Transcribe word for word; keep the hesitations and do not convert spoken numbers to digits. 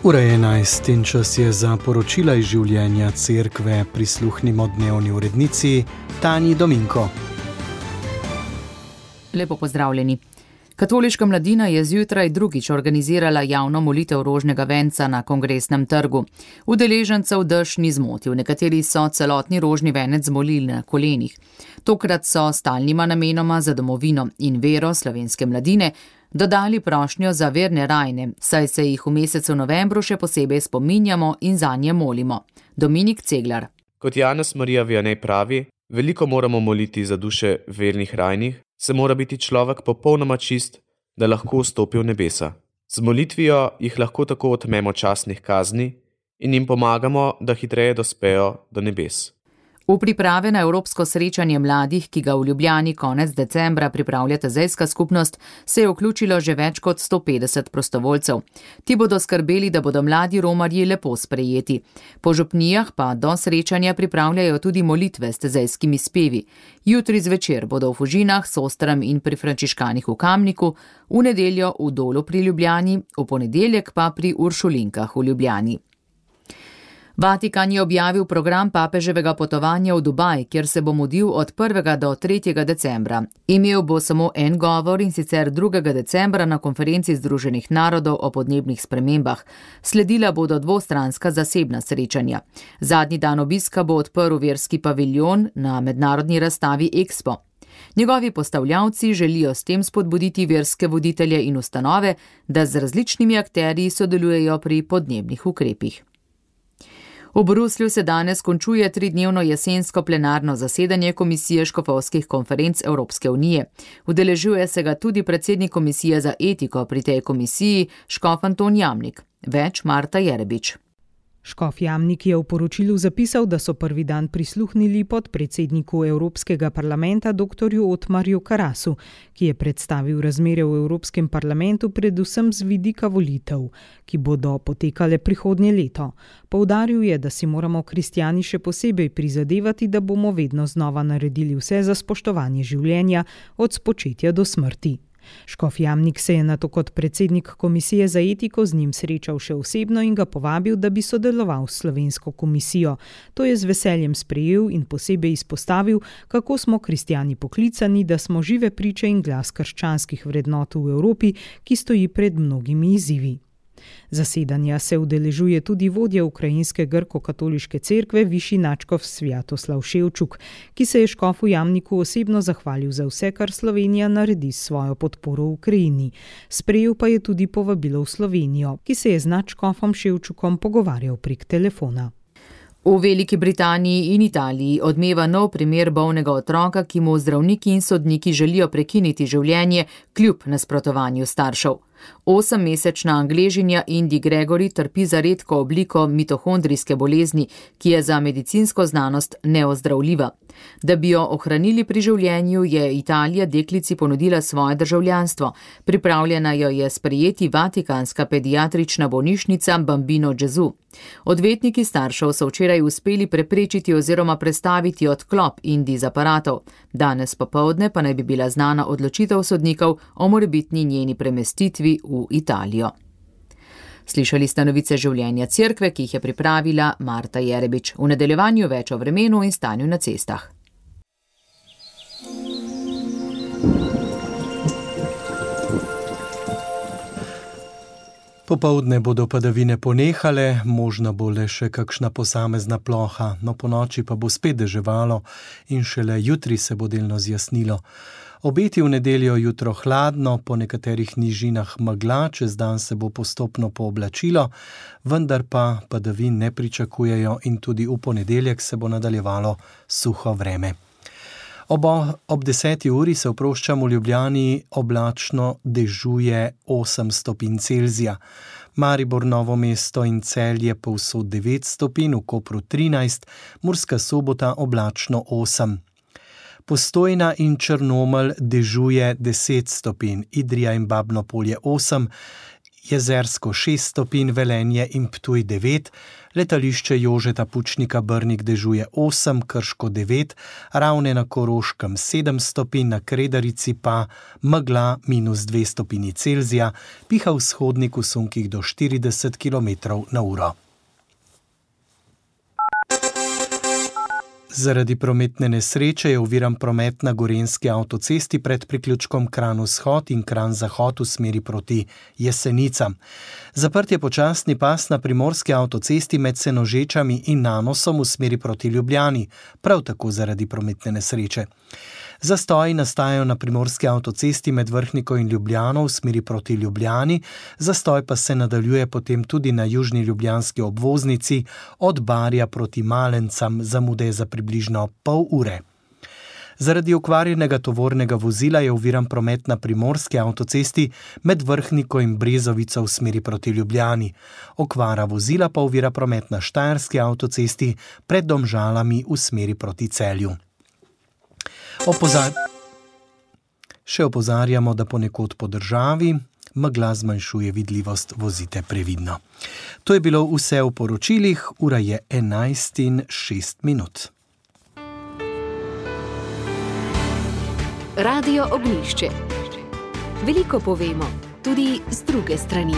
Ura je enajst in čas je za poročila iz življenja cerkve. Prisluhnimo dnevni urednici Tanji Dominko. Lepo pozdravljeni. Katoliška mladina je zjutraj drugič organizirala javno molitev rožnega venca na Kongresnem trgu. Udeležencev dež ni zmotil, nekateri so celotni rožni venec zmolili na kolenih. Tokrat so stalnima namenoma za domovino in vero slovenske mladine dodali prošnjo za verne rajne, saj se jih v mesecu novembru še posebej spominjamo in zanje molimo. Dominik Ceglar. Kot Janez Marija Vianney pravi, veliko moramo moliti za duše vernih rajnih, se mora biti človek popolnoma čist, da lahko vstopi v nebesa. Z molitvijo jih lahko tako otmemo časnih kazni in jim pomagamo, da hitreje dospejo do nebes. V priprave na evropsko srečanje mladih, ki ga v Ljubljani konec decembra pripravlja tezejska skupnost, se je vključilo že več kot sto petdeset prostovoljcev. Ti bodo skrbeli, da bodo mladi romarji lepo sprejeti. Po župnijah pa do srečanja pripravljajo tudi molitve s tezejskimi spevi. Jutri zvečer bodo v Fužinah, Sostrem in pri Frančiškanih v Kamniku, v nedeljo v Dolu pri Ljubljani, v ponedeljek pa pri Uršulinkah v Ljubljani. Vatikan je objavil program papeževega potovanja v Dubaj, kjer se bo mudil od prvega do tretjega decembra. Imel bo samo en govor, in sicer drugega decembra na konferenci Združenih narodov o podnebnih spremembah. Sledila bodo dvostranska zasebna srečanja. Zadnji dan obiska bo odprl verski paviljon na mednarodni razstavi Expo. Njegovi postavljavci želijo s tem spodbuditi verske voditelje in ustanove, da z različnimi akterji sodelujejo pri podnebnih ukrepih. V Bruslju se danes končuje tridnevno jesensko plenarno zasedanje Komisije škofovskih konferenc Evropske unije. Udeležuje se ga tudi predsednik Komisije za etiko pri tej komisiji, škof Anton Jamnik. Več Marta Jerebič. Škof Jamnik je v poročilu zapisal, da so prvi dan prisluhnili podpredsedniku Evropskega parlamenta doktorju Otmarju Karasu, ki je predstavil razmere v Evropskem parlamentu predvsem z vidika volitev, ki bodo potekale prihodnje leto. Poudaril je, da si moramo kristjani še posebej prizadevati, da bomo vedno znova naredili vse za spoštovanje življenja od spočetja do smrti. Škof Jamnik se je nato kot predsednik Komisije za etiko z njim srečal še osebno in ga povabil, da bi sodeloval s slovensko komisijo. To je z veseljem sprejel in posebej izpostavil, kako smo kristjani poklicani, da smo žive priče in glas krščanskih vrednot v Evropi, ki stoji pred mnogimi izzivi. Zasedanja se udeležuje tudi vodja ukrajinske grko-katoliške cerkve višji nadškof Svjatoslav Ševčuk, ki se je škofu Jamniku osebno zahvalil za vse, kar Slovenija naredi s svojo podporo v Ukrajini. Sprejel pa je tudi povabilo v Slovenijo, ki se je z nadškofom Ševčukom pogovarjal prek telefona. V Veliki Britaniji in Italiji odmeva nov primer bolnega otroka, ki mu zdravniki in sodniki želijo prekiniti življenje kljub nasprotovanju staršev. Osemmesečna Angležinja Indi Gregory trpi za redko obliko mitohondrijske bolezni, ki je za medicinsko znanost neozdravljiva. Da bi jo ohranili pri življenju, je Italija deklici ponudila svoje državljanstvo. Pripravljena jo je sprejeti Vatikanska pediatrična bolnišnica Bambino Gesù. Odvetniki staršev so včeraj uspeli preprečiti oziroma prestaviti odklop Indi z aparatov. Danes popoldne pa naj bi bila znana odločitev sodnikov o morebitni njeni premestitvi v Italijo. Slišali ste novice življenja cerkve, ki jih je pripravila Marta Jerebič. V nadaljevanju več o vremenu in stanju na cestah. Popoldne bodo padavine ponehale, možna bo le še kakšna posamezna ploha, no ponoči pa bo spet deževalo in šele jutri se bo delno zjasnilo. Obeti v nedeljo jutro hladno, po nekaterih nižinah megla, čez dan se bo postopno pooblačilo, vendar pa padavin ne pričakujejo in tudi v ponedeljek se bo nadaljevalo suho vreme. Ob, ob deseti uri se oproščam v Ljubljani, oblačno dežuje osem stopinj Celzija. Maribor, Novo mesto in Celje povsod devet stopinj, v Kopru trinajst, Murska Sobota oblačno osem. Postojna in Črnomelj dežuje deset stopinj, Idrija in Babno Polje osem, Jezersko šest stopinj, Velenje in Ptuj devet, letališče Jožeta Pučnika Brnik dežuje osem, Krško devet, Ravne na Koroškem sedem stopinj, na Kredarici pa megla minus dve stopinji Celzija, piha vzhodnik v sunkih do štirideset kilometrov na uro. Zaradi prometne nesreče je oviran promet na Gorenjski avtocesti pred priključkom Kranj-Vzhod in Kranj-Zahod v smeri proti Jesenicam. Zaprt je počasni pas na primorski avtocesti med Senožečami in Nanosom v smeri proti Ljubljani, prav tako zaradi prometne nesreče. Zastoji nastajajo na primorski avtocesti med Vrhniko in Ljubljano v smeri proti Ljubljani, zastoj pa se nadaljuje potem tudi na južni ljubljanski obvoznici od Barja proti Malencam, zamude za približno pol ure. Zaradi okvarjenega tovornega vozila je oviran promet na primorski avtocesti med Vrhniko in Brezovico v smeri proti Ljubljani. Okvara vozila pa ovira promet na Štajerski avtocesti pred Domžalami v smeri proti Celju. Opozar... Še opozarjamo, da ponekod po državi megla zmanjšuje vidljivost, vozite previdno. To je bilo vse v poročilih, ura je enajst in šest minut. Radio Ognjišče. Veliko povemo, tudi z druge strani.